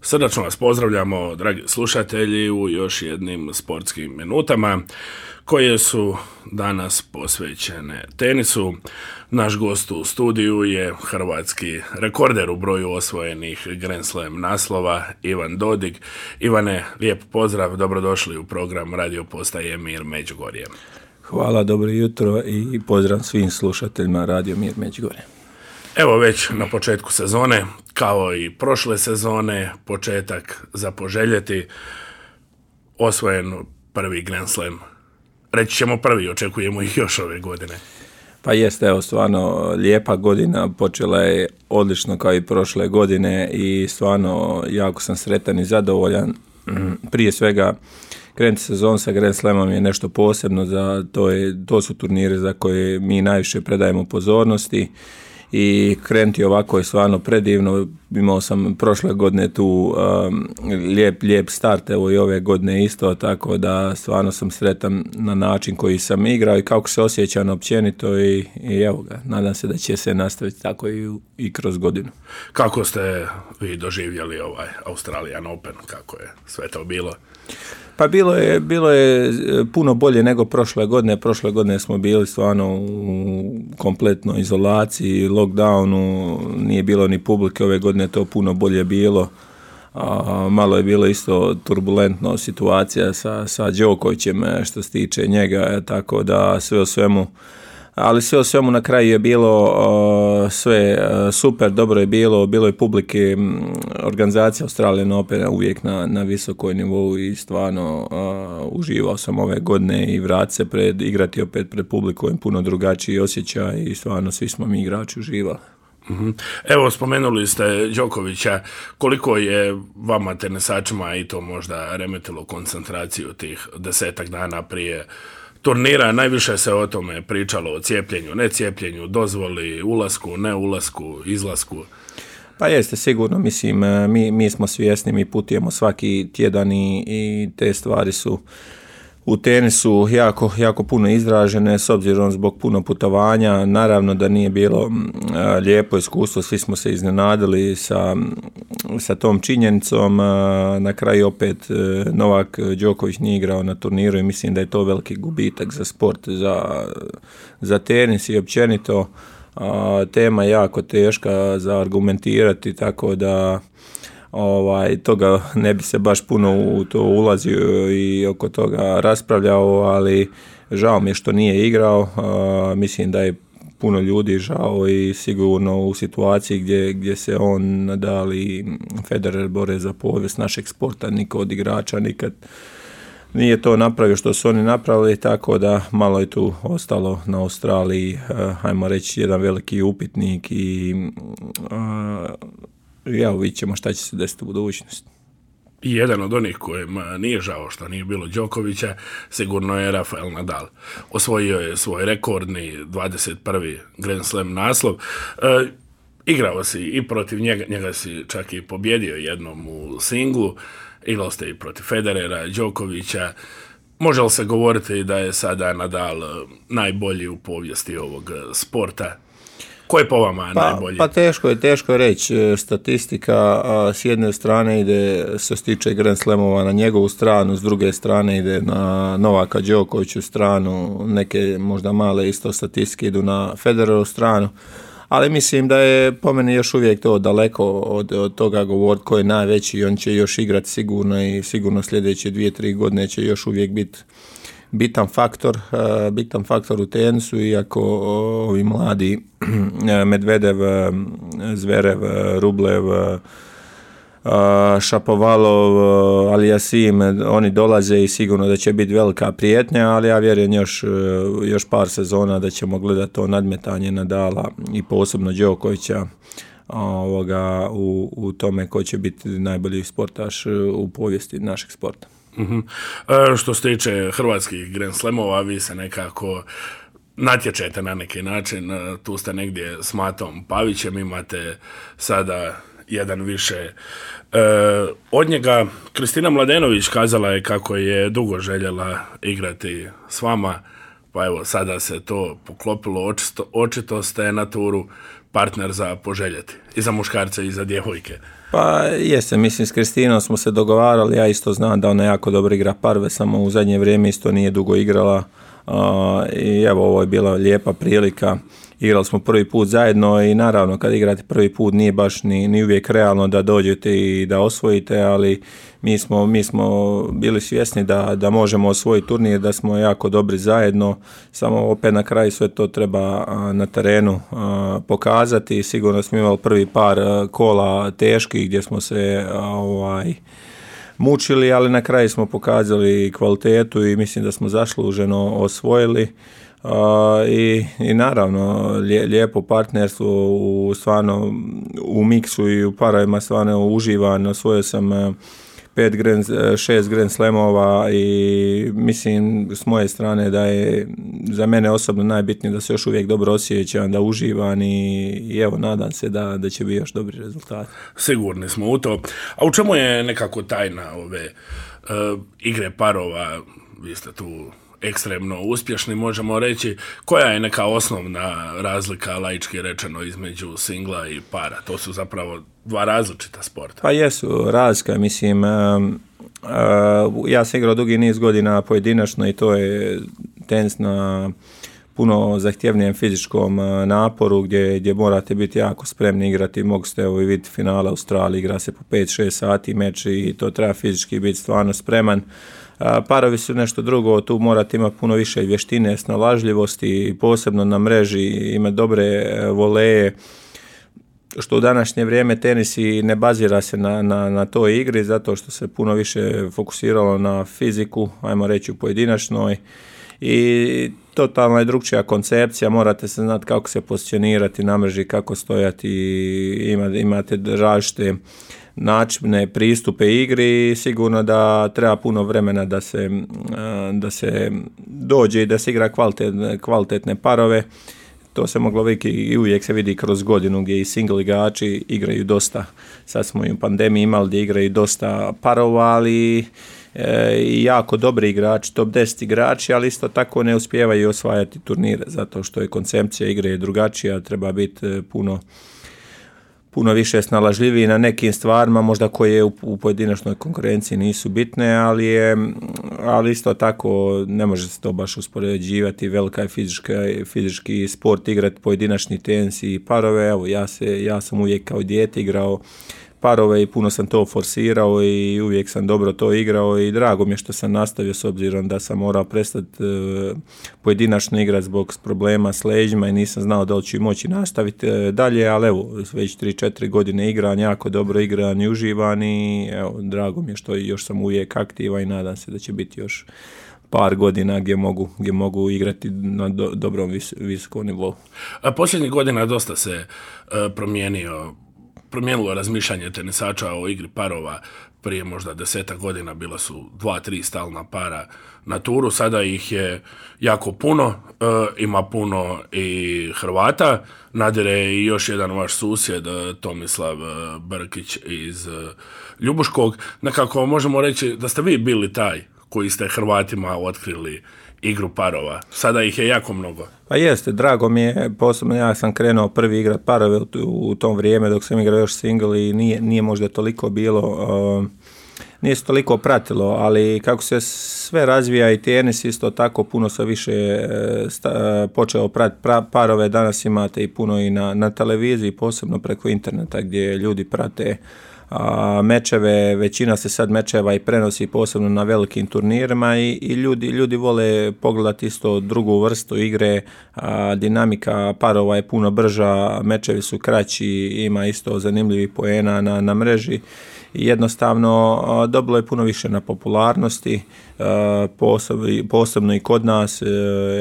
Srdačno vas pozdravljamo, dragi slušatelji, u još jednim sportskim minutama koje su danas posvećene tenisu. Naš gost u studiju je hrvatski rekorder u broju osvojenih Grand Slam naslova, Ivan Dodig. Ivane, lijep pozdrav, dobrodošli u program Radio Postaje Mir Međugorje. Hvala, dobro jutro i pozdrav svim slušateljima Radio Mir Međugorje. Evo već na početku sezone, kao i prošle sezone, početak za poželjeti, osvojen prvi Grand Slam. Reći ćemo prvi, očekujemo ih još ove godine. Pa jeste, evo stvarno lijepa godina, počela je odlično kao i prošle godine i stvarno jako sam sretan i zadovoljan. Prije svega, krenuti sezon sa Grand Slamom je nešto posebno, to su turniri za koje mi najviše predajemo pozornosti. I krenuti ovako je stvarno predivno. Imao sam prošle godine tu lijep start, evo i ove godine isto, tako da stvarno sam sretan na način koji sam igrao i kako se osjećam općenito i evo ga, nadam se da će se nastaviti tako i kroz godinu. Kako ste vi doživjeli ovaj Australian Open, kako je sve to bilo? Pa bilo je puno bolje nego prošle godine. Prošle godine smo bili stvarno u kompletnoj izolaciji, lockdownu, nije bilo ni publike, ove godine to puno bolje bilo. Malo je bilo isto turbulentno situacija sa Đokovićem što se tiče njega, tako da sve o svemu na kraju je bilo sve super, dobro je bilo je publike, organizacija Australian Opena uvijek na visokoj nivou i stvarno uživao sam ove godine i vratiti se igrati opet pred publikom, puno drugačiji osjećaj i stvarno svi smo mi igrači uživali. Evo, spomenuli ste Đokovića, koliko je vama tenisačima i to možda remetilo koncentraciju tih 10 dana prije turnira? Najviše se o tome pričalo, o cijepljenju, ne cijepljenju, dozvoli, ulasku, ne ulasku, izlasku. Pa jeste, sigurno, mislim, mi smo svjesni, mi putujemo svaki tjedan i te stvari su u tenisu jako puno izražene s obzirom zbog puno putovanja. Naravno da nije bilo lijepo iskustvo, svi smo se iznenadili sa tom činjenicom. Na kraju opet Novak Đoković nije igrao na turniru i mislim da je to veliki gubitak za sport, za tenis i općenito. Tema je jako teška za argumentirati, tako da toga ne bi se baš puno u to ulazio i oko toga raspravljao, ali žao mi je što nije igrao. Mislim da je puno ljudi žao i sigurno u situaciji gdje se on, Nadal i Federer bore za povijest našeg sporta, niko od igrača nikad nije to napravio što su oni napravili, tako da malo je tu ostalo na Australiji, hajmo reći, jedan veliki upitnik i vidjet ćemo šta će se desiti u budućnosti. I jedan od onih kojima nije žao što nije bilo Đokovića sigurno je Rafael Nadal. Osvojio je svoj rekordni 21. Grand Slam naslov. Igrao si i protiv njega si čak i pobjedio jednom u singlu. Igrao ste i protiv Federera, Đokovića. Može li se govoriti da je sada Nadal najbolji u povijesti ovog sporta? Ko je po vama najbolji? Pa teško je reći. Statistika s jedne strane ide, što se tiče Grand Slamova, na njegovu stranu, s druge strane ide na Novaka Đokoviću stranu, neke možda male isto statistike idu na Federerovu stranu, ali mislim da je po meni još uvijek to daleko od toga govoriti ko je najveći. On će još igrati sigurno i sigurno sljedeće 2-3 godine će još uvijek biti bitan faktor u tenisu, iako ovi mladi Medvedev, Zverev, Rublev, Šapovalov, Aliasim, oni dolaze i sigurno da će biti velika prijetnja, ali ja vjerujem još par sezona da ćemo gledati to nadmetanje Nadala i posebno Đokovića u tome ko će biti najbolji sportaš u povijesti našeg sporta. Što se tiče hrvatskih Grand Slamova, vi se nekako natječete na neki način, tu ste negdje s Matom Pavićem, imate sada jedan više od njega. Kristina Mladenović kazala je kako je dugo željela igrati s vama, pa evo sada se to poklopilo, očito ste na turu partner za poželjeti i za muškarce i za djevojke. Pa jeste, mislim s Kristinom smo se dogovarali, ja isto znam da ona jako dobro igra parve, samo u zadnje vrijeme isto nije dugo igrala i evo ovo je bila lijepa prilika. Igrali smo prvi put zajedno i naravno kad igrate prvi put nije baš ni uvijek realno da dođete i da osvojite, ali mi smo bili svjesni da možemo osvojiti turnir, da smo jako dobri zajedno, samo opet na kraju sve to treba na terenu pokazati. Sigurno smo imali prvi par kola teških gdje smo se mučili, ali na kraju smo pokazali kvalitetu i mislim da smo zasluženo osvojili. I naravno lijepo partnerstvo stvarno u miksu i u parovima stvarno uživan. Osvojio sam 6 Grand Slamova i mislim s moje strane da je za mene osobno najbitnije da se još uvijek dobro osjećam, da uživam i evo nadam se da će biti još dobri rezultati. Sigurni smo u to. A u čemu je nekako tajna ove igre parova? Vi ste tu ekstremno uspješni, možemo reći. Koja je neka osnovna razlika, laički rečeno, između singla i para? To su zapravo dva različita sporta. Pa jesu, razlika, mislim, ja sam igrao dugi niz godina pojedinačno i to je tenis na puno zahtjevnijem fizičkom naporu gdje morate biti jako spremni igrati. Mogu ste i vidjeti finala Australiji, igra se po 5-6 sati meč i to treba fizički biti stvarno spreman. Parovi su nešto drugo, tu morate imati puno više vještine, snalažljivosti, posebno na mreži, imati dobre voleje, što u današnje vrijeme tenis i ne bazira se na toj igri, zato što se puno više fokusiralo na fiziku, ajmo reći u pojedinačnoj, i totalno je drugčija koncepcija, morate se znati kako se pozicionirati na mreži, kako stojati, imate različite načine, pristupe igri i sigurno da treba puno vremena da se dođe i da se igra kvalitetne parove. To se moglo vidjeti i uvijek se vidi kroz godinu gdje i single igrači igraju dosta. Sad smo i u pandemiji imali gdje igraju dosta parova, ali i jako dobri igrači, top 10 igrači, ali isto tako ne uspijevaju osvajati turnire, zato što je koncepcija igre drugačija, treba biti puno više snalažljiviji na nekim stvarima, možda koje u pojedinačnoj konkurenciji nisu bitne, ali isto tako ne može se to baš uspoređivati. Velika je fizički sport igrati pojedinačni tenis i parove. Evo, ja sam uvijek kao dijete igrao parove i puno sam to forsirao i uvijek sam dobro to igrao i drago mi je što sam nastavio s obzirom da sam morao prestati pojedinačno igrati zbog problema s leđima i nisam znao da li ću moći nastaviti dalje, ali evo već 3-4 godine igram, jako dobro igram i uživam i evo, drago mi je što još sam uvijek aktivan i nadam se da će biti još par godina gdje mogu igrati na dobrom visokom nivou. Posljednjih godina dosta se promijenilo razmišljanje tenisača o igri parova. Prije možda 10 godina bila su 2-3 stalna para na turu, sada ih je jako puno, ima puno i Hrvata, nadire i još jedan vaš susjed Tomislav Brkić iz Ljubuškog. Nekako možemo reći da ste vi bili taj koji ste Hrvatima otkrili igru parova. Sada ih je jako mnogo. Pa jeste, drago mi je, posebno ja sam krenuo prvi igrat parove u tom vrijeme dok sam igrao još single i nije možda toliko bilo, nije se toliko pratilo, ali kako se sve razvija i tenis isto tako puno se više počeo pratiti parove, danas imate i puno i na televiziji, posebno preko interneta gdje ljudi prate mečeve, većina se sad mečeva i prenosi posebno na velikim turnirima i ljudi vole pogledati isto drugu vrstu igre, dinamika parova je puno brža, mečevi su kraći, ima isto zanimljivih poena na mreži i jednostavno dobilo je puno više na popularnosti, posebno i kod nas.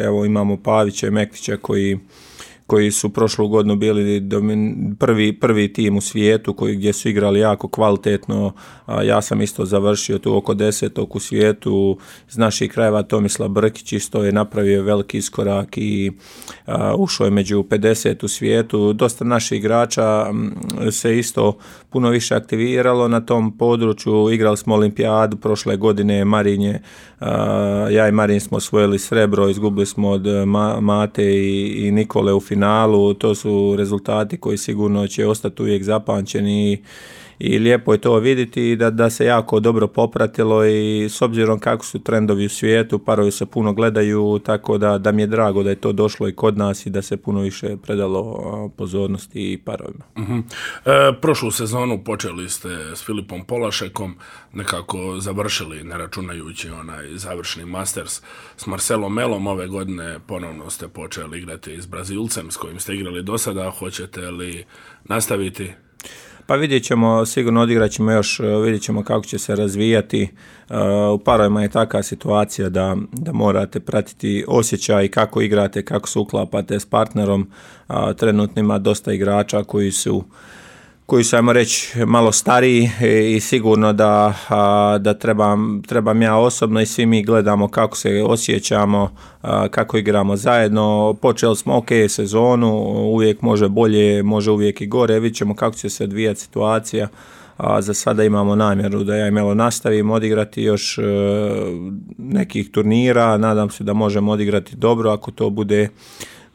Evo imamo Pavića i Mektića koji su prošlu godinu bili prvi tim u svijetu gdje su igrali jako kvalitetno. Ja sam isto završio tu oko 10. u svijetu. Iz naših krajeva Tomislav Brkić isto je napravio veliki iskorak i ušao je među 50 u svijetu. Dosta naših igrača se isto puno više aktiviralo na tom području. Igrali smo olimpijadu prošle godine, Marinje. Ja i Marin smo osvojili srebro, izgubili smo od Mate i Nikole u finalu. finalu, to su rezultati koji sigurno će ostati uvijek zapamćeni i lijepo je to vidjeti da se jako dobro popratilo i s obzirom kako su trendovi u svijetu, parovi se puno gledaju, tako da mi je drago da je to došlo i kod nas i da se puno više predalo pozornosti i parovima. Prošlu sezonu počeli ste s Filipom Polašekom, nekako završili, ne računajući onaj završni Masters s Marcelom Melom. Ove godine ponovno ste počeli igrati s Brazilcem s kojim ste igrali do sada. Hoćete li nastaviti? Pa vidjet ćemo, sigurno odigrat ćemo još, vidjet ćemo kako će se razvijati. U parovima je takva situacija da morate pratiti osjećaj kako igrate, kako se uklapate s partnerom. Trenutno ima dosta igrača koji su, ajmo reći, malo stariji i sigurno da trebam ja osobno i svi mi gledamo kako se osjećamo, kako igramo zajedno. Počeli smo ok sezonu, uvijek može bolje, može uvijek i gore, vidjet ćemo kako će se odvijati situacija. Za sada imamo namjeru da ja i Melo nastavimo odigrati još nekih turnira, nadam se da možemo odigrati dobro, ako to bude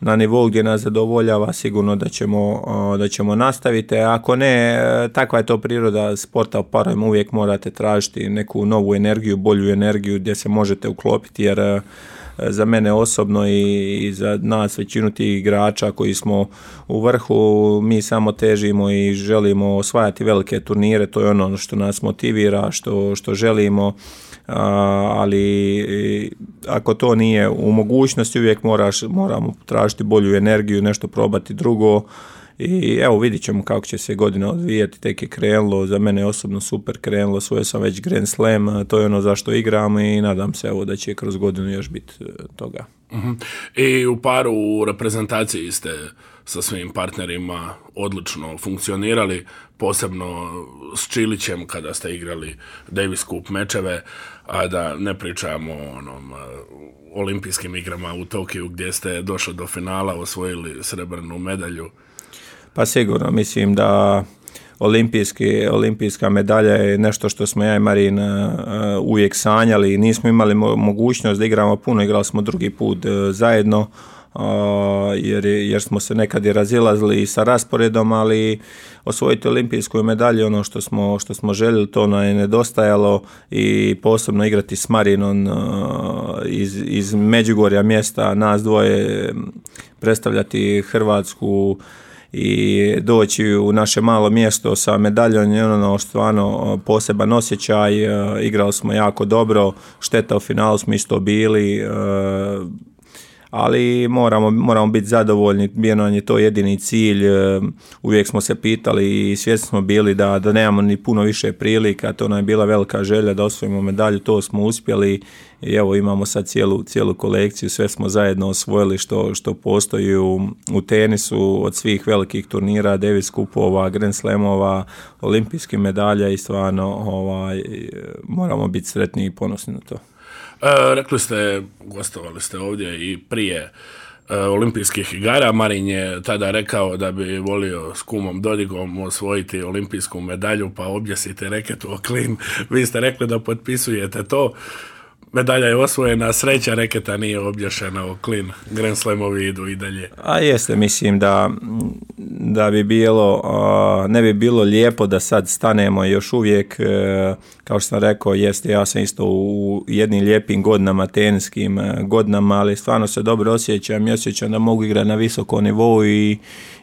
na nivou gdje nas zadovoljava, sigurno da ćemo nastaviti. Ako ne, takva je to priroda sporta u parovima, uvijek morate tražiti neku novu energiju, bolju energiju gdje se možete uklopiti, jer za mene osobno i za nas većinu tih igrača koji smo u vrhu, mi samo težimo i želimo osvajati velike turnire, to je ono što nas motivira, što želimo, ali ako to nije u mogućnosti, uvijek moramo tražiti bolju energiju, nešto probati drugo. I evo, vidit ćemo kako će se godina odvijati, tek je krenulo, za mene je osobno super krenulo, osvojio sam već Grand Slam, to je ono zašto igram i nadam se evo da će kroz godinu još biti toga. I u paru u reprezentaciji ste sa svim partnerima odlično funkcionirali, posebno s Čilićem kada ste igrali Davis Cup mečeve, a da ne pričamo o onom olimpijskim igrama u Tokiju gdje ste došli do finala, osvojili srebrnu medalju. Pa sigurno, mislim da olimpijska medalja je nešto što smo ja i Marin uvijek sanjali. Nismo imali mogućnost da igramo puno, igrali smo drugi put zajedno, jer smo se nekad i razilazili sa rasporedom, ali osvojiti olimpijsku medalju, ono što smo željeli, to nam je nedostajalo i posebno igrati s Marinom iz Međugorja mjesta, nas dvoje, predstavljati Hrvatsku i doći u naše malo mjesto sa medaljom je ono stvarno poseban osjećaj. Igrali smo jako dobro, šteta u finalu smo isto bili, ali moramo biti zadovoljni, bio nam je to jedini cilj. Uvijek smo se pitali i svjesni smo bili da nemamo ni puno više prilika, to nam je bila velika želja da osvojimo medalju, to smo uspjeli i evo imamo sad cijelu kolekciju, sve smo zajedno osvojili što postoji u tenisu, od svih velikih turnira, Davis Cupova, Grand Slamova, olimpijskih medalja i stvarno moramo biti sretni i ponosni na to. Rekli ste, gostovali ste ovdje i prije olimpijskih igara. Marin je tada rekao da bi volio s kumom Dodigom osvojiti olimpijsku medalju, pa objesite reketu o klin. Vi ste rekli da potpisujete to. Medalja je osvojena, sreća reketa nije obješena o klin. Grand Slamovi idu i dalje. A jeste, mislim da bi bilo, ne bi bilo lijepo da sad stanemo još uvijek, kao što sam rekao, jeste, ja sam isto u jednim lijepim godinama, teniskim godinama, ali stvarno se dobro osjećam i osjećam da mogu igrati na visokom nivou i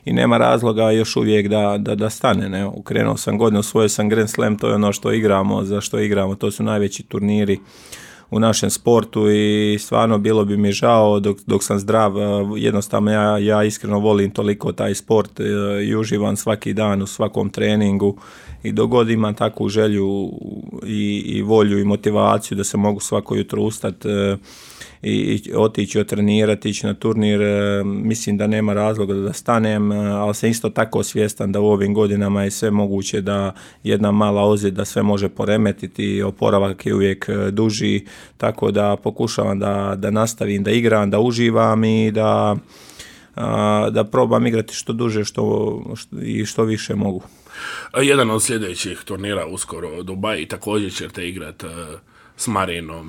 nema razloga još uvijek da stane. Ne? Ukrenuo sam godinu, osvojio sam Grand Slam, to je ono što igramo, za što igramo, to su najveći turniri u našem sportu i stvarno bilo bi mi žao dok sam zdrav. Jednostavno ja iskreno volim toliko taj sport i uživam svaki dan u svakom treningu i dok god imam takvu želju i volju i motivaciju da se mogu svako jutro ustati i otići otrenirati, ići na turnir, mislim da nema razloga da stanem, ali sam isto tako svjestan da u ovim godinama je sve moguće da jedna mala ozljeda sve može poremetiti, oporavak je uvijek duži, tako da pokušavam da nastavim da igram, da uživam i da probam igrati što duže i što više mogu. Jedan od sljedećih turnira uskoro Dubai, također ćete igrati s Marinom.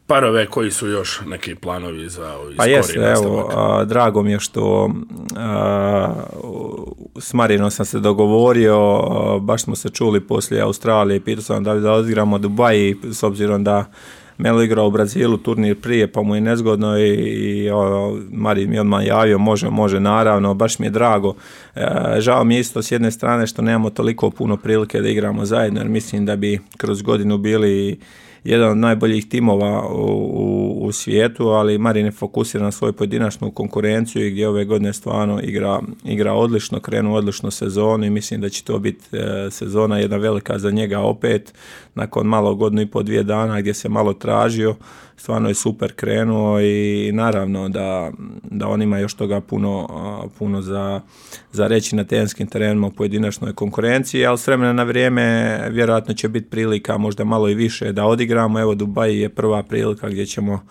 Parove koji su još neki planovi za Pa jeste, evo, drago mi je što s Marinom sam se dogovorio, baš smo se čuli poslije Australije, pitao sam da odigramo Dubai, s obzirom da Melo igrao u Brazilu turnir prije, pa mu je nezgodno i Marin mi odmah javio, može naravno, baš mi je drago. Žao mi je isto s jedne strane što nemamo toliko puno prilike da igramo zajedno, jer mislim da bi kroz godinu bili jedan od najboljih timova u svijetu, ali Marin je fokusiran na svoju pojedinačnu konkurenciju i gdje ove godine stvarno igra odlično, krenu odlično sezonu i mislim da će to biti sezona jedna velika za njega opet, nakon malo godinu i po 2 dana gdje se malo tražio, stvarno je super krenuo i naravno da on ima još toga puno za reći na tenskim terenima u pojedinačnoj konkurenciji, ali s vremena na vrijeme vjerojatno će biti prilika možda malo i više da odigramo. Evo Dubai je prva prilika gdje ćemo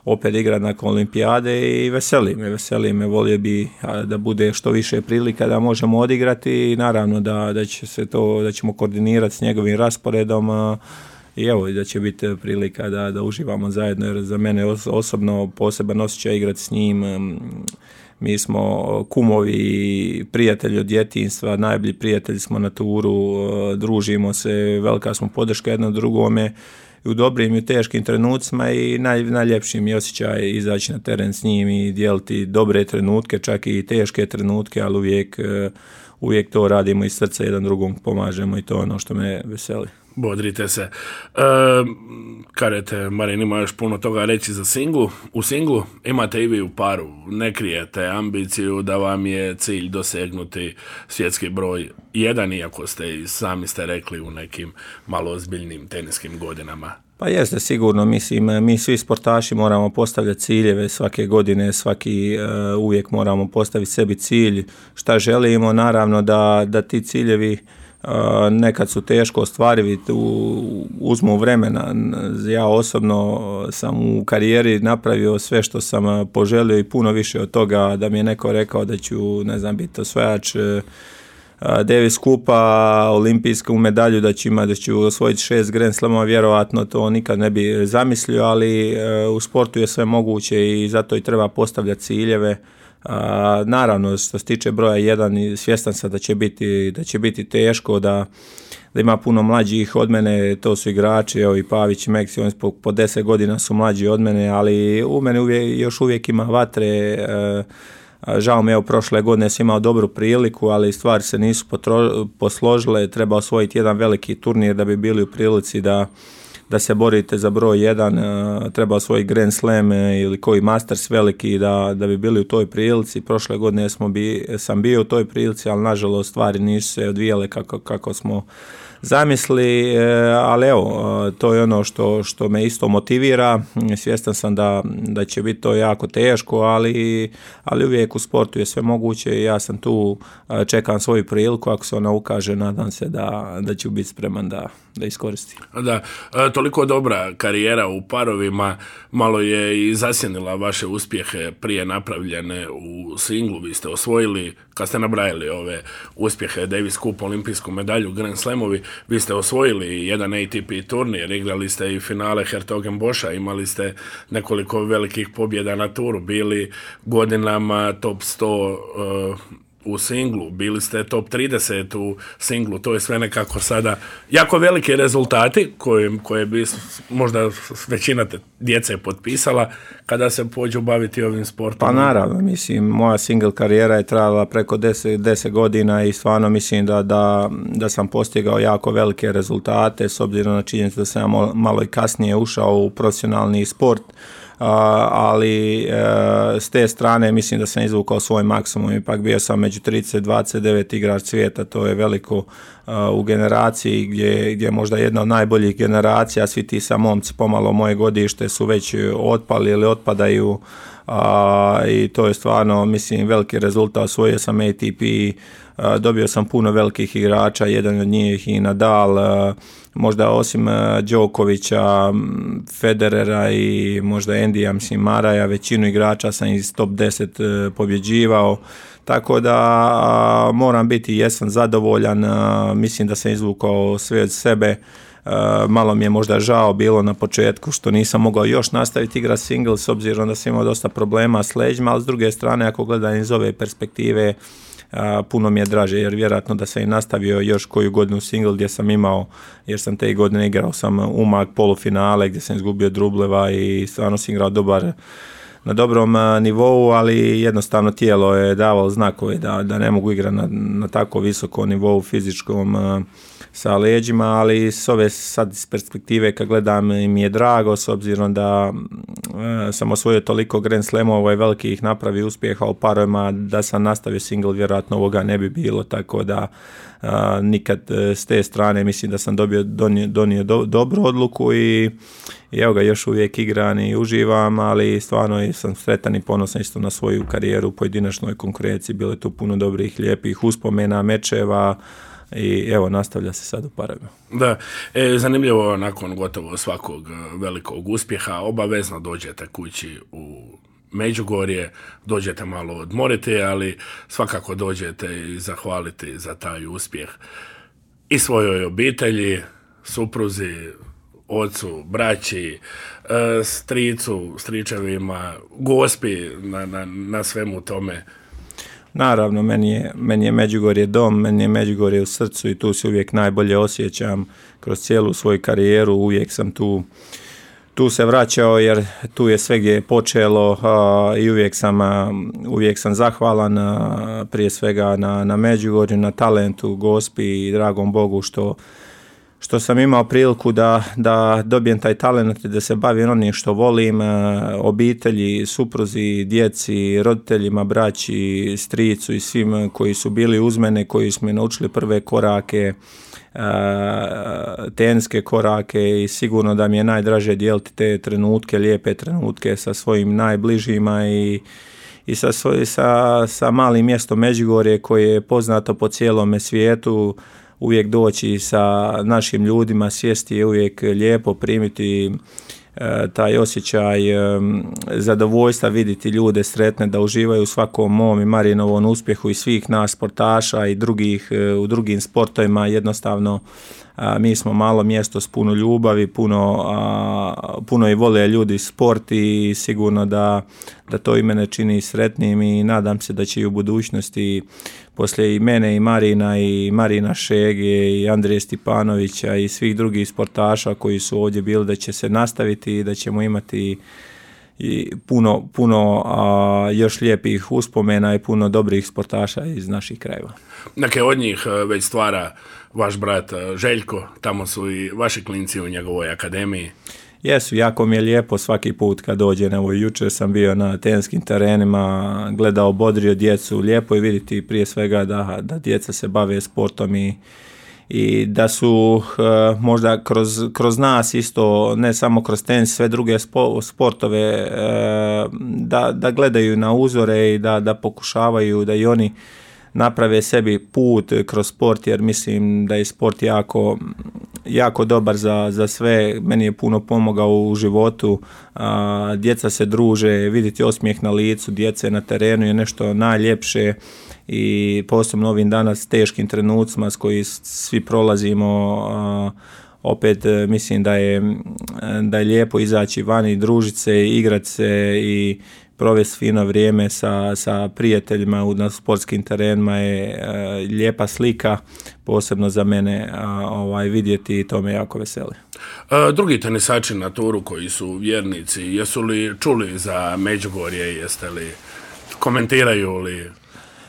opet igrati nakon olimpijade i veseli me, volio bi da bude što više prilika da možemo odigrati i naravno da ćemo koordinirati s njegovim rasporedom i evo da će biti prilika da uživamo zajedno, jer za mene osobno poseban osjećaj igrati s njim. Mi smo kumovi, prijatelji od djetinjstva, najbolji prijatelji smo na turu, družimo se, velika smo podrška jedno drugome u dobrim i teškim trenucima i najljepši mi osjećaj izaći na teren s njim i dijeliti dobre trenutke, čak i teške trenutke, ali uvijek to radimo iz srca, jedan drugom pomažemo i to je ono što me veseli. Bodrite se. Kažete, Marin ima još puno toga reći za singlu. U singlu imate i vi u paru. Ne krijete ambiciju da vam je cilj dosegnuti svjetski broj 1, iako sami ste rekli u nekim malo ozbiljnim teniskim godinama. Pa jeste, sigurno, mislim, mi svi sportaši moramo postavljati ciljeve svake godine, uvijek moramo postaviti sebi cilj, šta želimo, naravno da ti ciljevi nekad su teško ostvarivi, uzmu vremena. Ja osobno sam u karijeri napravio sve što sam poželio i puno više od toga, da mi je neko rekao da ću, biti osvajač Davis Cupa, olimpijsku medalju, da ću osvojiti 6 Grand Slamova, vjerojatno to nikad ne bi zamislio, ali u sportu je sve moguće i zato i treba postavljati ciljeve. Naravno, što se tiče broja 1, svjestan sam da će biti teško, da ima puno mlađih od mene, to su igrači, evo i Pavić i Meksi, oni po 10 godina su mlađi od mene, ali u mene još uvijek ima vatre. Žao mi je, prošle godine sam imao dobru priliku, ali stvari se nisu posložile, treba osvojiti jedan veliki turnir da bi bili u prilici da se borite za broj 1, treba osvojiti Grand Slam ili koji Masters veliki da bi bili u toj prilici. Prošle godine sam bio u toj prilici, ali nažalost stvari nisu se odvijale kako smo zamisli, ali evo, to je ono što me isto motivira. Svjestan sam da će biti to jako teško, ali uvijek u sportu je sve moguće i ja sam tu, čekam svoju priliku, ako se ona ukaže, nadam se da ću biti spreman da iskoristim. Da, toliko dobra karijera u parovima, malo je i zasjenila vaše uspjehe prije napravljene u singlu. Vi ste osvojili, kad ste nabrajali ove uspjehe, Davis Cup, olimpijsku medalju, Grand Slamovi, vi ste osvojili jedan ATP turnir, igrali ste i finale Hertogenboscha, imali ste nekoliko velikih pobjeda na turu, bili godinama top 100 u singlu, bili ste top 30 u singlu, to je sve nekako sada jako veliki rezultati koje bi možda većina djece potpisala kada se pođu baviti ovim sportom. Pa naravno, mislim, moja single karijera je trajala preko 10 godina i stvarno mislim da sam postigao jako velike rezultate, s obzirom na činjenicu da sam malo i kasnije ušao u profesionalni sport, ali s te strane mislim da sam izvukao svoj maksimum. Ipak bio sam među 30-29 igrač svijeta, to je veliko u generaciji gdje možda jedna od najboljih generacija, svi ti sa momci pomalo moje godište su već otpali ili otpadaju, i to je stvarno, mislim, veliki rezultat. Osvojio sam ATP, dobio sam puno velikih igrača, jedan od njih i Nadal, možda osim Đokovića, Federera i možda Endija, mislim, Maraja, većinu igrača sam iz top 10 pobjeđivao, tako da moram biti, jesam zadovoljan, mislim da sam izvukao sve od sebe. Malo mi je možda žao bilo na početku što nisam mogao još nastaviti igrati single s obzirom da sam imao dosta problema s leđima, ali s druge strane ako gledam iz ove perspektive puno mi je draže jer vjerojatno da sam i nastavio još koju godinu single gdje sam imao, jer sam te godine igrao sam umak polufinale gdje sam izgubio Drubleva i stvarno sam igrao na dobrom nivou, ali jednostavno tijelo je davalo znakove da ne mogu igrati na tako visokom nivou fizičkom sa leđima, ali s ove sad iz perspektive kad gledam mi je drago s obzirom da sam osvojio toliko Grand Slamova i velikih napravi uspjeha u parovima, da sam nastavio single vjerojatno ovoga ne bi bilo, tako da nikad s te strane mislim da sam donio dobru odluku i evo ga još uvijek igram i uživam, ali stvarno sam sretan i ponosan isto na svoju karijeru u pojedinačnoj konkurenciji, bilo je tu puno dobrih, lijepih uspomena, mečeva i evo nastavlja se sad u parovima. Da, zanimljivo nakon gotovo svakog velikog uspjeha obavezno dođete kući u Međugorje, dođete malo odmoriti, ali svakako dođete i zahvaliti za taj uspjeh i svojoj obitelji, supruzi, ocu, braći, stricu, stričevima, gospi na svemu tome. Naravno, meni je Međugorje dom, meni je Međugorje u srcu i tu se uvijek najbolje osjećam kroz cijelu svoju karijeru, uvijek sam tu se vraćao jer tu je sve gdje je počelo i uvijek sam zahvalan prije svega na Međugorju, na talentu, gospi i dragom Bogu što sam imao priliku da dobijem taj talent i da se bavim onim što volim, obitelji, supruzi, djeci, roditeljima, braći, stricu i svim koji su bili uz mene, koji su me naučili prve korake, teniske korake i sigurno da mi je najdraže dijeliti te trenutke, lijepe trenutke sa svojim najbližima i sa malim mjestom Međugorje koje je poznato po cijelome svijetu. Uvijek doći sa našim ljudima, sjesti je uvijek lijepo, primiti taj osjećaj zadovoljstva, vidjeti ljude sretne da uživaju u svakom mom i Marinovom uspjehu i svih nas sportaša i u drugim sportovima. Jednostavno mi smo malo mjesto s puno ljubavi, puno i vole ljudi sport i sigurno da to i mene čini sretnim i nadam se da će i u budućnosti poslije i mene i Marina Šege i Andrije Stipanovića i svih drugih sportaša koji su ovdje bili da će se nastaviti i da ćemo imati i puno još lijepih uspomena i puno dobrih sportaša iz naših krajeva. Neke od njih već stvara vaš brat Željko, tamo su i vaši klinci u njegovoj akademiji. Jesu, jako mi je lijepo svaki put kad dođem, evo jučer sam bio na teniskim terenima, gledao, bodrio djecu, lijepo je vidjeti prije svega da djeca se bave sportom i da su možda kroz nas isto, ne samo kroz tenis, sve druge sportove, da gledaju na uzore i da pokušavaju da i oni naprave sebi put kroz sport, jer mislim da je sport jako dobar za sve. Meni je puno pomogao u životu, djeca se druže, vidjeti osmijeh na licu djece na terenu je nešto najljepše i posebno ovim danas teškim trenucima s koji svi prolazimo, opet mislim da je lijepo izaći van i družiti se, igrati se i provesti fino vrijeme sa prijateljima na sportskim terenima je lijepa slika, posebno za mene vidjeti i to me jako veseli. Drugi tenisači na turu koji su vjernici, jesu li čuli za Međugorje, jeste li, komentiraju li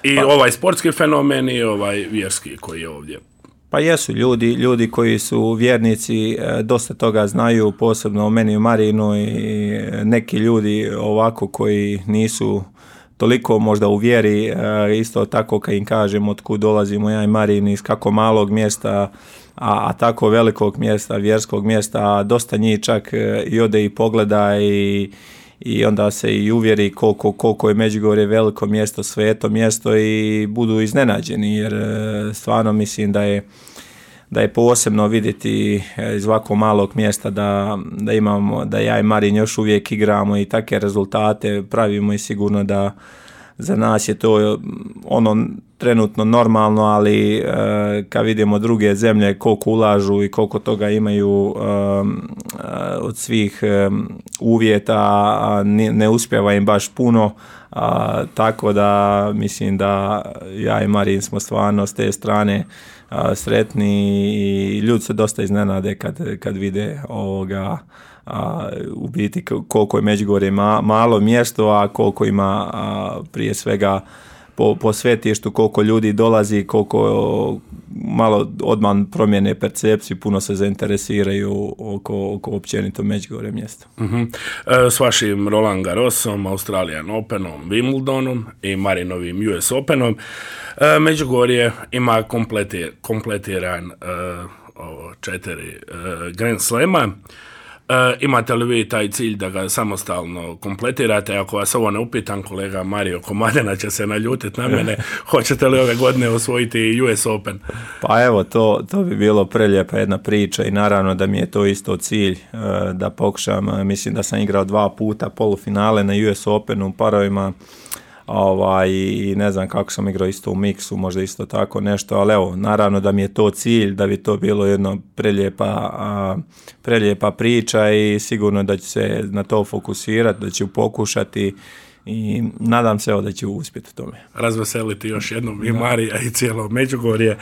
i ovaj sportski fenomen i ovaj vjerski koji je ovdje? Pa jesu ljudi koji su vjernici, dosta toga znaju, posebno o meni i Marinu i neki ljudi ovako koji nisu toliko možda u vjeri, isto tako kad im kažem od kud dolazimo ja i Marin iz kako malog mjesta, a tako velikog mjesta, vjerskog mjesta, dosta njih čak i ode i pogleda i onda se i uvjeri koliko je Međugorje veliko mjesto, sveto mjesto i budu iznenađeni jer stvarno mislim da je posebno vidjeti iz ovako malog mjesta da imamo, da ja i Marin još uvijek igramo i takve rezultate pravimo i sigurno za nas je to ono trenutno normalno, ali kad vidimo druge zemlje koliko ulažu i koliko toga imaju od svih uvjeta, ne uspijeva im baš puno, tako da mislim da ja i Marin smo stvarno s te strane sretni i ljudi se dosta iznenade kad vide ovoga, u biti koliko je Međugorje malo mjesto, a koliko ima prije svega po svetištu, koliko ljudi dolazi, koliko malo odmah promjene percepciju, puno se zainteresiraju oko općenito Međugorje mjesta. S vašim Roland Garrosom, Australian Openom, Wimbledonom i Marinovim US Openom, Međugorje ima kompletiran 4 Grand Slema. Imate li vi taj cilj da ga samostalno kompletirate? Ako vas ovo ne upitam, kolega Mario Komadina će se naljutiti na mene. Hoćete li ove godine osvojiti US Open? Pa evo, to bi bilo prelijepa jedna priča i naravno da mi je to isto cilj da pokušam. Mislim da sam igrao 2 puta polufinale na US Openu u parovima. I ne znam kako sam igrao isto u miksu, možda isto tako nešto, ali evo, naravno da mi je to cilj, da bi to bilo jedno prelijepa priča i sigurno da ću se na to fokusirati, da ću pokušati i nadam se da ću uspjeti u tome. Razveseliti još jednom i Marija i cijelo Međugorje.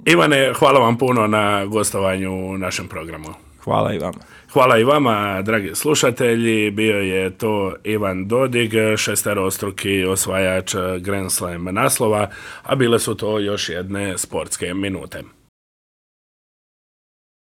Ivane, hvala vam puno na gostovanju u našem programu. Hvala i vama. Hvala i vama, dragi slušatelji. Bio je to Ivan Dodig, šesterostruki osvajač Grand Slam naslova, a bile su to još jedne sportske minute.